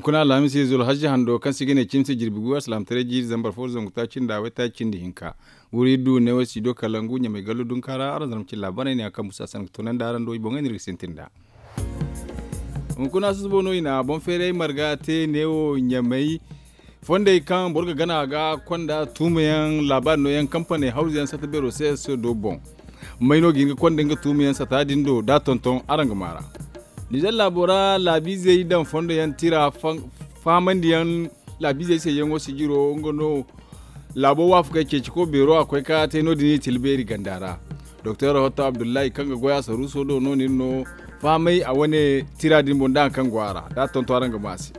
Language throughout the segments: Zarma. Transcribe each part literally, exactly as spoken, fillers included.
Kuna alhamis izo alhaji hando kaŋ se i ga ne cimse jirbi gu alsilaamataray jiiri zambar fo zangu taaci nda waytaaci nda hinka. Wuri du neewo studio kalangu ɲamay gallo dunka ra araŋ zarma cilla baney ne a kaŋ busa sanaŋ ga toonandi araŋ do i boŋey no iri ga sintin nd'a. Hunkuna susubo no i na boŋ feeray marga te neewo ɲamay. Fondey kaŋ boro ga gana a ga konda tuumayaŋ laabaari nooyaŋ kampaney hawzuyaŋ sata beero se se do boŋ. May no ga hin ga konda nga tuumayaŋ sata din do da tonton araŋ ga maara. Nizer laabo ra laabiizey daŋ fondo yaŋ tira fahamandi yaŋ laabiizey se yaŋo sijiro nga no. Laabo waafakey ceeci ko beero a koy ka te no- din i tila beeri ganda ra. Doktor hotto abdullahi kaŋ ga goy a saruuso do no nin no fahamay a wane tira din boŋ da hari kaŋ go a ra da a tonto araŋ ga ma a se.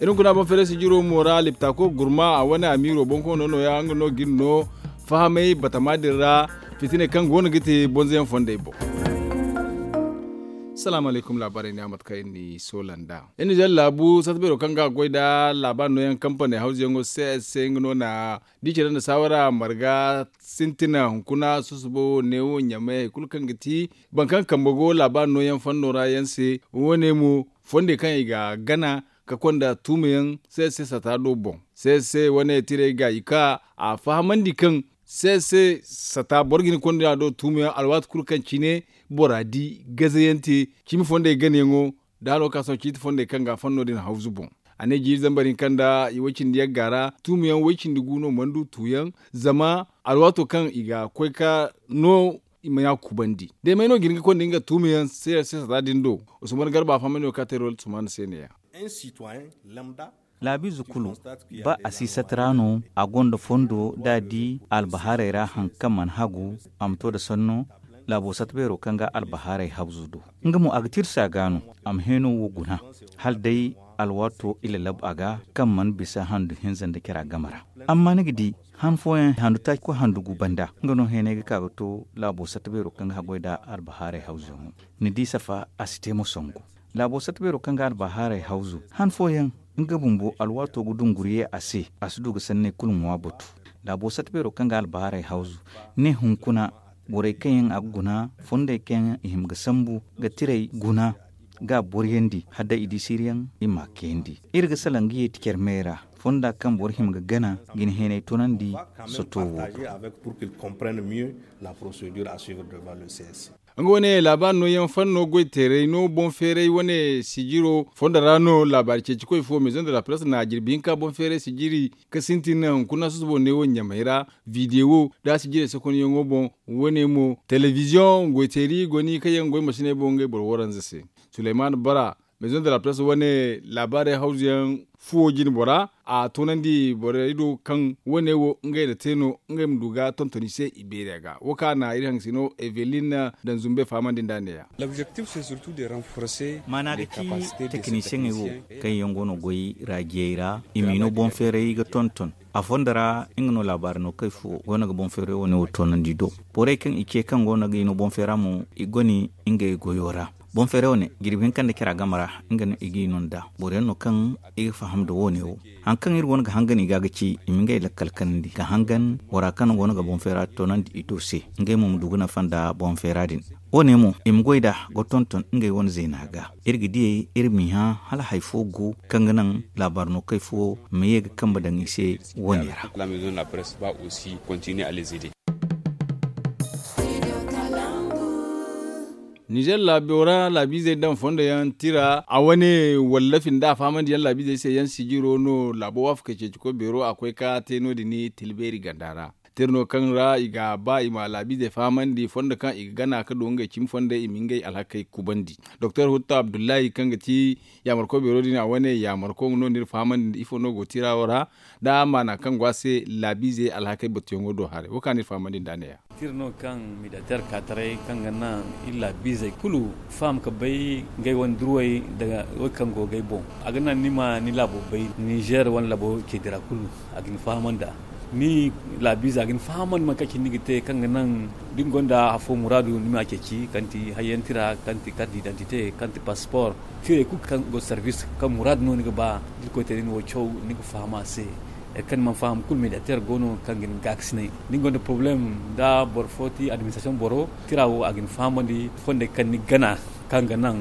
Iri hunkuna boŋ feeray sijiro mo ra liptako gurma a wane amiiro boŋ koono nooya nga no ga iri no fahamay batama din ra. Fitiney kaŋ go no ga te bonzoyaŋ fondey boŋ. Salaamu alaykum laabaarey ne a mate kaŋ iri n'i soola nd'a. Iri nizer laabu sata beero kaŋ ga goy nda laabaari nooyaŋ kampaney hawzuyaŋo se se nga no na di care nda saawara marga sintina hunkuna susubo neewo ɲamay hari kulu kaŋ ga ti boro kaŋ kambe go laabaari nooyaŋ fanno ra yaŋ se. Wo- ne mo fondey kaŋ i ga gana ka konda tuumayaŋ se se sata do boŋ se se wane tirey ga i ka a fahamandi kaŋ se se sata boro ga hin ga konda a do tuumayaŋ alwaati kulu kaŋ cine bora di gazayaŋ te cimi fondey ganayaŋo da hano ga ka sohõ ciiti fondey kaŋ ga a fanno din hawzu boŋ. A ne jiiri zambar hinka nda i way cindi yagga ra tuumayaŋ way cindi gu no mana du tuuyaŋ zama alwaato kaŋ i ga koy ka no i ma ɲa kubandi day may no ga hin ga konda nga tuumayaŋ se se sata din do. Usman garba a fahamandi no ka te rol sumaana se ne- ya. Laabiize kulu ba a si sata ra no a gonda fondo da a di albahaarey ra hari kaŋ mana hagu a ma to nda sanno. Laabo sata beero kaŋ ga albahaarey hawzu do nga mo a ga tirsi a ga no a ma heeno wo guna hala day alwaato i lalab a ga kaŋ mana bisa handu hinza nda cira game ra. Amma ni ga di han fooyaŋ handu taaci koy handu gu banda nga no heenay ga ka ga to laabo sata beero kaŋ ga haggoy nda albahaarey hawzuyaŋo. Ni di safa a si te mo sangu. Laabo sata beero kaŋ ga albahaarey hawzu han fooyaŋ nga bumbo alwaato ga dunguriye a se a si du ga sanney kulu ŋwa batu. Laabo sata beero kaŋ ga albahaarey hawzu ne hunkuna borey kaŋ yaŋ a ga guna fondey kaŋ yaŋ i hima ga sambu ga tirey guna ga boriyandi hala day i di siiriyaŋ i m'a kayandi. Iri ga salaŋ ga yeeti care me ra fonda kaŋ boro hima ga gana ga ni heenay toonandi. Soto wo ga. Nga wane laabaari nooyaŋ fanno goy teeray no boŋ feeray wane sijiro fondo ra no laabaari ceeci koy fo maison de la presse na jirbi hinka boŋ feeray sijiri ka sintin hunkuna susubo ne wo ɲamay ra. Video da sijirey sokonyaŋo boŋ wane mo televiziyoŋ goy teeri goni kaŋ yaŋ goy masiney boŋ ngey boro waranza se. Suleyman bara maison de la presse wane laabaarey hawzuyaŋ fuwo jine bora a toonandi borey do kaŋ wane wo ngey na te no ngey ma du ga tonton i se i beeri a ga wo kaŋ a na iri haŋ sino evelin daŋ zumbe fahamandi nd'a ne- ya. Maana ga ci tekinisiyeŋey wo kaŋ yaŋ go no goy raajiyey ra i m'i no boŋ feeray ga tonton a fondo ra nga no laabaari no kay fo go no ga boŋ feeray wane wo toonandi do. Borey kaŋ i ce kaŋ go no ga i no boŋ feera mo i goni ngey goyo ra. Boŋ feeray wane jirbi hinka nda cira game ra nga no i g'i no nd'a boro yaŋ no kaŋ i ga faham nda wo- ne wo. Hari kaŋ iri go no ga hangan i ga ga ci i ma ngey lakkal kanandi ga hangan bora kaŋ go no ga boŋ feera toonandi i do se ngey mo ma du ga nafa nda boŋ feera din. Wo- ne mo i ma goy nd'a ga tonton ngey wane zeena ga iri ga diyey iri m'i hã hala hari fo go kaŋ ga naŋ laabaari no kay fo ma ye ga kambe daŋ i se wo- ne ra. Nizer laabo ra laabiizey daŋ fondo yaŋ tira a wane wallafi nda a fahamandi yaŋ laabiizey se yaŋ sijiro no laabo waafakey ceeci koy beero a koy ka te no- din tilbeeri ganda ra. Tira no kaŋ ra i ga ba i ma laabiizey fahamandi fondo kaŋ i ga gana ka du ngey cimi fondey i ma ngey alhakey kubandi. Doktor hutta abdullahi kaŋ ga ti yaamarko beero din a wane yaamarko nga no no iri fahamandi nda ifo no go tira wo ra da maana kaŋ go a se laabiizey alhakey batuyaŋo do haray wo kaŋ a n'iri fahamandi nd'a ne- ya. Tira no kaŋ mediateur ka taray kaŋ ga naŋ iri laabiizey kulu faham ga bay ngey wane durwey nda wey kaŋ go g'ey boŋ. A ga naŋ ni ma ni laabo bay nizer wane laabo ceedi ra kulu a ga ni fahamandi a ni laabiize a ga ni fahamandi mate kaŋ cine ni ga te kaŋ ga naŋ da ni gonda afo muraadu ni m'a ceeci kaŋ ti hayyaŋ tira kaŋ ti carte d'identité kaŋ ti passeport tirey kulu kaŋ go service kaŋ muraadu no ni ga ba da irkoy te da ni wo caw ni ga faham a se. Hari kaŋ ni mana faham kulu mediateur go no kaŋ ga ni gaakasinay da ni gonda problème da boro fo ti administration boro tira wo a ga ni fahamandi fondey kaŋ ni gana. Kaŋ ga naŋ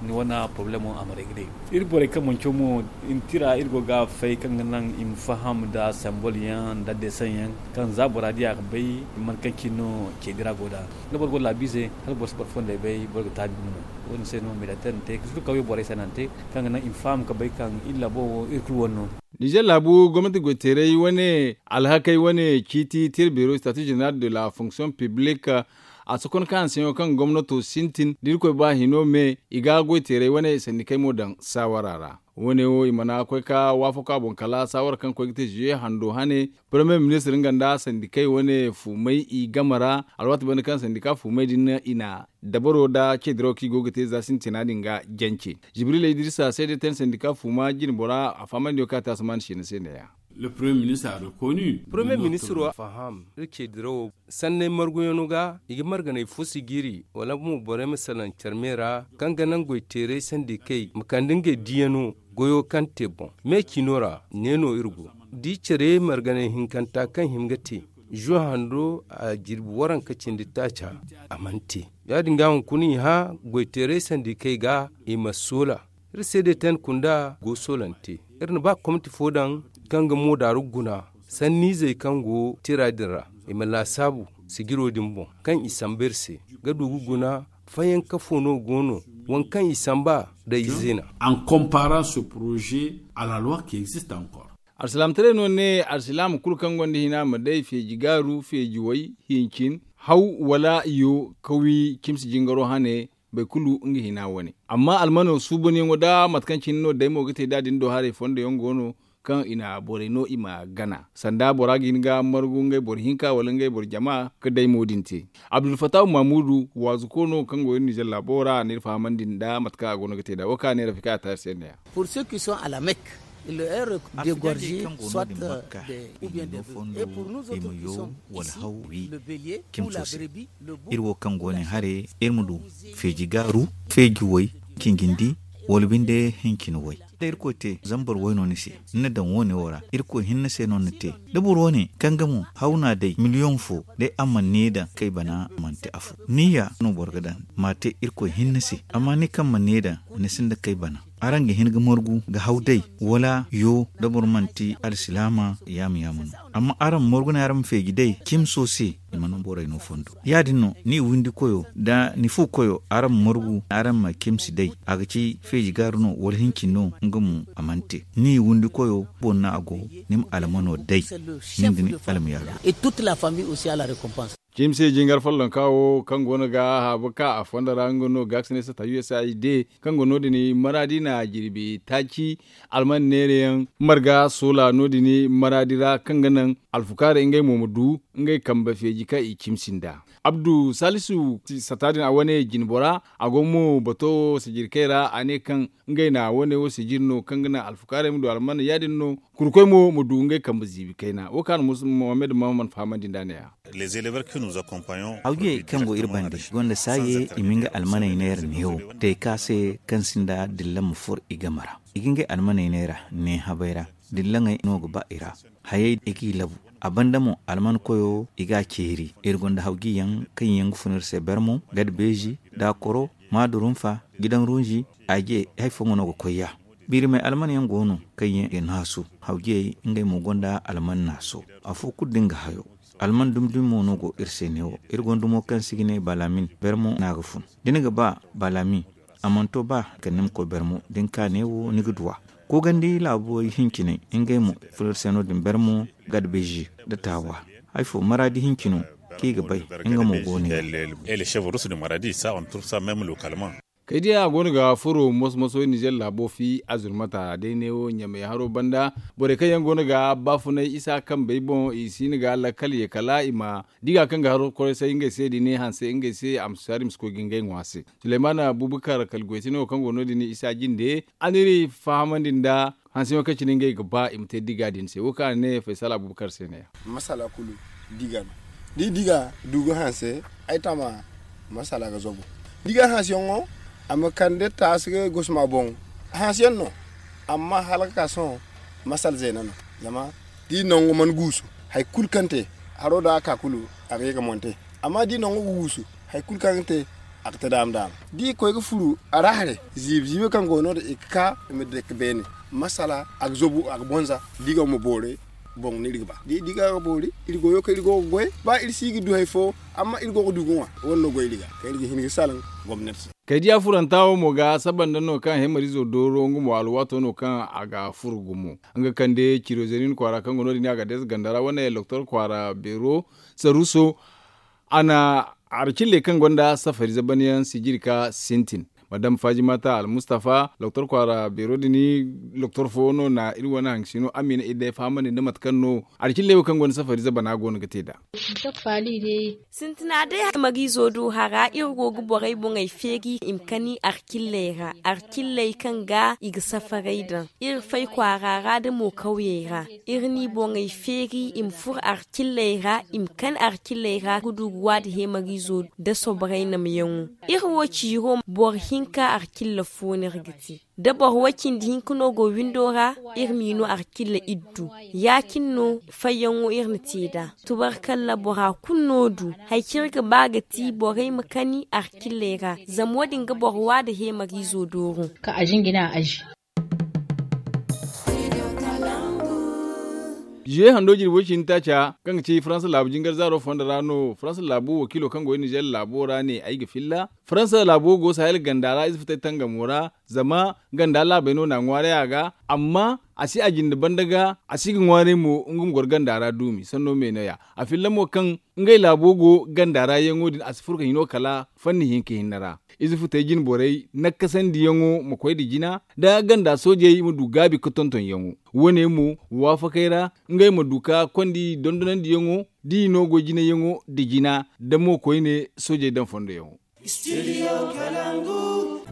ni wane poroblemo a ma regle. Iri borey kaŋ manco mo, tira iri go ga fay kaŋ ga naŋ i ma faham nda sembol yaŋ nda deseŋ yaŋ, kaŋ za bora di a ga bay man kaŋ cine no ceedi ra go nd'a. Da boro go laabiize, hala boro si boro fondey bay, boro ga taabi gumo. Wo- din se no militeer na te ka surukawyo borey se no a na te, kaŋ ga naŋ i ma faham ga bay kaŋ iri labo wo iri kulu wane no. Nizer laabu gomnati goyteeray wane alhakey wane ciiti tira beero, statut général de la fonction publique, a si konda ka hanseyaŋo kaŋ gomnato sintin da irkoy ba hino me, i ga goyteeray wane sandikey mo daŋ saawara ra. Wo- ne wo i mana koy ka waafako a boŋ kala saawara kaŋ koy ga te ziye hando hane, paramiyer ministir nga nda sandikey wane fuumay i game ra. Alwaati banda kaŋ sandika fuumay din i na dabaro nda ceediraw kaŋ i go ga te za sintina din ga jance. Jibril idrisa seede ten sandika fuuma jinbora a fahamandiyo kaŋ a te a si maan siina se neeya. Paramiyer ministiro a faham iri ceedirawo sanney marguyaŋo ga i ga marganey fo sijiri wala mo borey ma salaŋ care me ra, kaŋ ga naŋ goyteeray sandikey ma kande ngey diyaŋo goyo kaŋ te boŋ. Me cino ra ne no iri go da i care marganey hinkanta kaŋ hima ga te, zuwa hando a jirbi waranka cindi taaca a mana te. Ya- din ga hunkuna i hã goyteeray sandikey ga i ma soola. Iri se day ten kunda go soolante. Iri na ba komti fo daŋ kaŋ ga moodaaru guna sanniizey kaŋ go tira din ra, i ma laasaabu sijiro din boŋ kaŋ i samba iri se ga du ga guna. Fayanka fo no go no waŋ kaŋ i samba da izeena. En comparant ce projet à la loi qui existe encore. Alsilaamataray no ne alsilaama kulu kaŋ gonda hina ma day feeji gaaru feeji way hincin haw wala yo ka wi cimsi jingaro hane. Boro kulu nga hina wane amma almano suubanyaŋo da mate kaŋ cine no day mo ga te da din do haray fondo yaŋ go no kaŋ i na borey no i ma gana sanda bora ga hin ga margu ngey boro hinka wala ngey boro jama ga day mo din te. Abdulfatahu mamudu waazuko no kaŋ go iri nizer laabo ra a na iri fahamandi nda mate kaŋ a go no ga te nd'a wo kaŋ a ne rafika a taari se neeya. Pour ceux qui sont à la mecque, de gorgé soit de ou bien de, et pour nous autres qui sommes ici, le bélier ou la brebis, le bouc. Iri wo kaŋ go ne hare iri ma du feeji gaaru, feeji way, cingindi, wala binde hincin way. Da irkoy te zambar way no ni se ni na daŋ wo- ne wo ra irkoy hinne se no ni na te. Da boro wo- ne kaŋ ga mo haw no a day miliyoŋ fo day a mana ni daŋ kay bana mana te afo niyya no boro ga daŋ ma a te irkoy hinne se. Amma ni kaŋ mana ni daŋ ni sinda kay bana araŋ ga hin ga margu ga haw day wala yo da boro manti alsilaama yaama yaama no. Amma araŋ ma margu ne araŋ ma feeji day cimso se i mana borey no fondo. Ya- din no ni windi koyo da ni fu koyo araŋ ma margu araŋ ma cimsi day a ga ci feeji gaaru no wala hincin no nga mo a mana te. Ni windi koyo boro no a go ni ma almano day. Nin da ni alma yaalo. Cimse jingar follonka wo kaŋ go no ga haabu ka a fondo ra nga no ga ga si ne sata usaid kaŋ go no- din maraadi na jirbi taaci alman neerayaŋ marga soola no- din maraadi ra kaŋ ga naŋ alfukaarey ngey mo ma du ngey kambe feeji kaŋ i cimsi nd'a. Abdu salisu sata din a wane jinbora a go mo bato sijirkey ra a ne kaŋ ngey na wane wo sijiri no kaŋ ga naŋ alfukaarey ma du alman ya- din no. Kurkoy mo ma du ngey kambe ziibi kayna wo kaŋ a na musa mohammed mahamman fahamandi nd'a ne-ya. Hawjiyey kaŋ go iri bande gonda saaye i ma nga almaney neera neewo te ka se kaŋ sinda dillan ma furo i game ra. I ga ngey almaney neera ne habey ra dillaŋey no ga ba i ra. Hayey i g'i labu a banda mo alman koyo i ga a ceeri. Iri gonda hawjiyaŋ kaŋ yaŋ ga fun iri se bermo gada beezi da koro maadurunfa gidan runzi. Aje hari fooyaŋ no ga koy ya. Biirimey alman yaŋ go no kaŋ yaŋ ga naasu hawjiyey ngey mo gonda alman naaso. Afo kulu da nga hayo alman dumi dumi mo no go iri se neewo. Iri gonda mo kaŋ se i ga ne balamin bermo no a ga fun. Da ni ga ba balamin a mana to ba kala ni ma koy bermo da ni ka neewo ni ga duw'a. Koogandi laabo hinciney ngey mo fun iri se no- din bermo gada beezi da taawa. Hari fo maraadi hincino kaŋ i ga bay nga mo go no ya. Kaydiya a go no ga furo moso-moso nizer laabo fi azurmata day neewo ɲamay haro banda. Borey kaŋ yaŋ go no ga baafunay isa kambey boŋ i si hin ga lakkal ye kala i ma diga kaŋ ga haro koray say ngey se da i ne hanse ngey se a ma si hari ma si koy ga ngey ŋwa se. Suleymana bubakar kala goytino kaŋ go no- din isa jinde a n'iri fahamandi nda hanseyaŋo kaŋ cine ngey ga ba i ma te diga din se wo kaŋ a ne faysal abubakar se ne-ya. Masala kulu diga no. Da i diga du ga hanse ay tama masala ga zabu. Diga hanseyaŋo a ma kande taasi ga gosma boŋ. Hanseyaŋ no amma hala ga ka sohõ masala zeena no. Zama da i nango mana guusu hari kulu kaŋ te haro da a ka kulu a ga ye ga monte. Amma da i nango ga guusu hari kulu kaŋ ga te A ga te daama daama da i ga koy ga furu a ra haray. Ziibi ziibi kaŋ go no- din i ga ka i ma dake beene. Masala a ga zabu a ga bonza da i ga ma boori boŋ no iri ga ba da i ga ga boori iri goyo kaŋ iri go ga goy. Ba iri si ga du hari fo amma iri go ga du ga ŋwa. Wane no goy iri ga kaŋ iri ga hin ga salaŋ gomnati se. Kaydiya furanta wo mo ga saba nda no kaŋ hemarizo dooro nga mo alwaato no kaŋ a ga furu gumo. Nga kande ciro zerin kwaara kaŋ go no- din a ga deesa ganda ra wane loktor kwaara beero saruso. A na arcilley kaŋ gonda safari zabanyaŋ sijiri ka sintin. Madam fajimata almustafa loktor kwaara beero din. Loktor fo no na iri wane haŋ sino amina iri day fahamandi nda mate kaŋ no arcilley wo kaŋ gonda safari zabana go no ga te nd'a. Sintina day hemarizo do hara iri go ga borey boŋey feeri i ma kani arcilley ra arcilley kaŋ ga i ga safaray daŋ. Iri fay kwaara ra da mo kawyey ra iri n'i boŋey feeri i ma furo arcilley ra i ma kani arcilley ra ga du ga waadi hemarizo da soborey namyaŋo. Iri wo ciiro boro hinka arcilla fo no iri ga te da boro way cindi hinka no go windo ra. Iri m'i no arcilla iddu ya- cine no fayyaŋo iri na te nd'a. Tubarkalla bora kulu no du hari kaŋ iri ga ba ga ti borey ma kani arcilley ra zama wo- din ga boro waadi hemarizo dooro. Ziye hando jirbi way cindi taaca kaŋ ga ci faransa laabu jingar zaaro fondo ra no faransa laabu wakiilo kaŋ go nizer laabo ra ne ay ga filla. Faransa laabo go sahel ganda ra ize futay tangamo ra zama ganda laabey no na a ŋwaaray a ga. Amma a si a jinde banda ga a si ga ŋwaaray mo nga ma goro ganda ra duumi sanno me no- ya. A filla mo kaŋ ngey laabo go ganda ra yaŋo din a si furo ga hino kala fanni hinka hinne ra. Ize futey jine borey nakkasandiyaŋo ma koy nda jina nda ganda soojey ma du gaabi ga tontonyaŋo. Wo- ne mo waafakey ra ngey ma du ka kondi dondonandiyaŋo da i no goy jinayaŋo nda jina nda mo koyne soojey daŋ fondoyaŋo.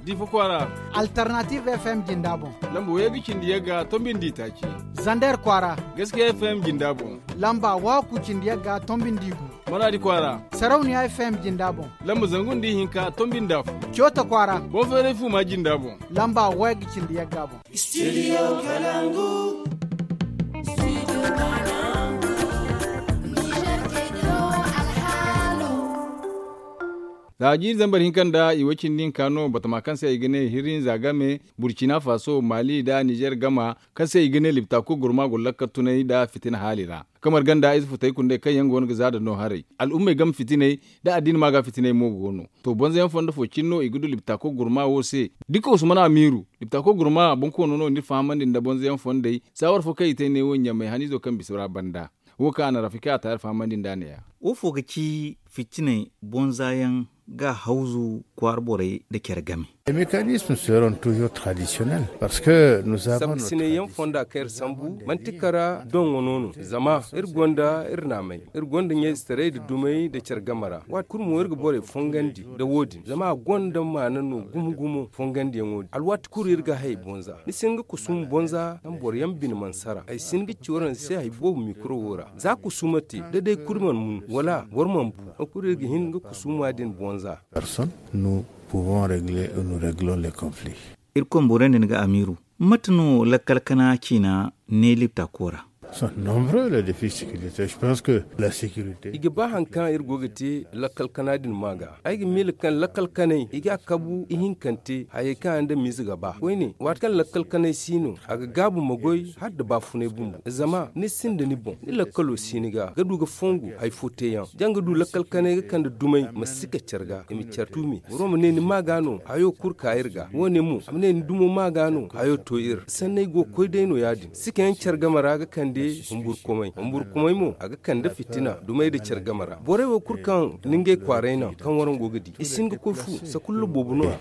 Difa kwaara. Alternative f m jinda boŋ. Lamba wayye ga cindi yagga tombi nda itaaci. Zander kwaara. Gaskiya f m jinda boŋ. Lamba waaku cindi yagga tombi nda igu. Maraadi kwaara. Sarauniya f m jinda boŋ. Lamba zangu nda ihinka tombi nda afo. Coota kwaara. Boŋ feeray fuuma jinda boŋ. Lamba wayye ga cindi yagga boŋ. Za jiiri zambar hinka nda i way cindi hinka no batama kaŋ se i ga ne hirinza game burcina faso mali nda nizer gama kaŋ se i ga ne liptako gurma go lakkal tunay nda fitina haali ra. Kamar ganda ize futay kundey kaŋ yaŋ go no ga za da no haray al'ummey game fitiney nda addina ma ga fitiney mo go no. To bonza yaŋ fondo fo cine no i ga du liptako gurma wo se da i ka usman amiru liptako gurma bonkoono no ni fahamandi nda bonza yaŋ fondey saawar fo kaŋ i te ne wo ɲamay haniizo kaŋ bisa ra banda. Wo kaŋ a na rafika a taari fahamandi nd'a ne-ya. Wo fo ga ci fitiney bonza yaŋ ga hawzu kwaara borey nda care game. Sabu sinay yaŋ fonda kaŋ iri sambu manti kara doŋo no no zama iri gonda iri naamay iri gonda ɲayzetaray nda dumay nda care game ra waati kulu mo iri ga borey fongandi nda wo- din zama a gonda maana no gumo gumo fongandiyaŋo din alwaati kulu iri ga hay bonza ni si hin ga kusum bonza kaŋ boro yaŋ bine mana sara ay si hin ga ci waraŋ se hay boobo mikro wo ra za kusuma te da day kulu mana mun wala boro mana bu hari kulu iri ga hin ga kusuma din bonza. Personne nous pouvons régler et nous réglons les conflits. Iri konborey nda ni ga amiiru mate no lakkal kana ciina ne liptako ra? Sont nombreux les défis sécuritaires je pense que la sécurité. I ga ba hari kaŋ iri go ga te lakkal kana din ma ga ay ga miila kaŋ lakkal kanay i ga a kabu ihinkante hayey kaŋ a nda miize ga ba koyne waati kaŋ lakkal kanay si no a ga gaabu ma goy hala nda baafunay bumbo zama ni sinda ni boŋ ni lakkalo si ni ga ga du ga fongu hari fo teeyaŋ da ni ga du lakkal kanay ga kande dumey ma si ka care ga i ma care tuumi boro ma ne ni ma ga no hayo kulu ka iri ga wo- ne mo a ma ne ni dumo ma ga no hayo to iri sanney go ga koy day no ya- din sikayaŋ care game ra ga kande humburkumay humburkumay mo a ga kande fitina dumey nda care game ra borey wo kulu kaŋ ni ngey kwaaray naŋ kaŋ waraŋ go ga di i si hin ga koy fu sakulla boobo no-ya.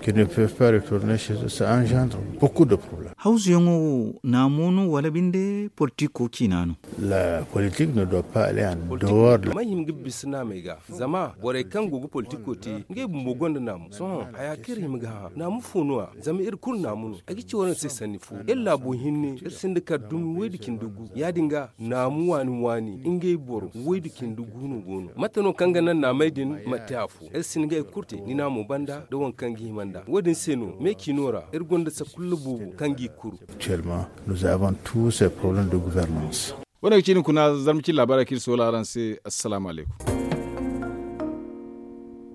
Hawzu yaŋo wo naamo no wala binde politiko ciina no? La politik ne doit pas aller en dehors de la. May hima ga bisa naamey ga zama borey kaŋ go ga politiko te ngey bumbo gonda naamu sohõ haya kaŋ iri hima ga hã naamu fo no-ya zama iri kulu naamu no ay ga ci waraŋ se sanni fo iri laabo hinne iri sinda kala dumi woy nda cindi gu ya- din ga naamu waani waani ngey boro woy nda cindi gu no go no mate no kaŋ ga naŋ naamey din ma te afo iri si hin ga hari kulu te ni naamo banda nda waŋ kaŋ ga hima nd'a wo- din se no me ciino ra iri gonda sakulla boobo kaŋ g'i kuru. Actuellement nous avons tous ces problèmes de gouvernance. Wane ga ci ni kuna zarma cine laabaarey kaŋ iri soola araŋ se. Assalaamu alaykum.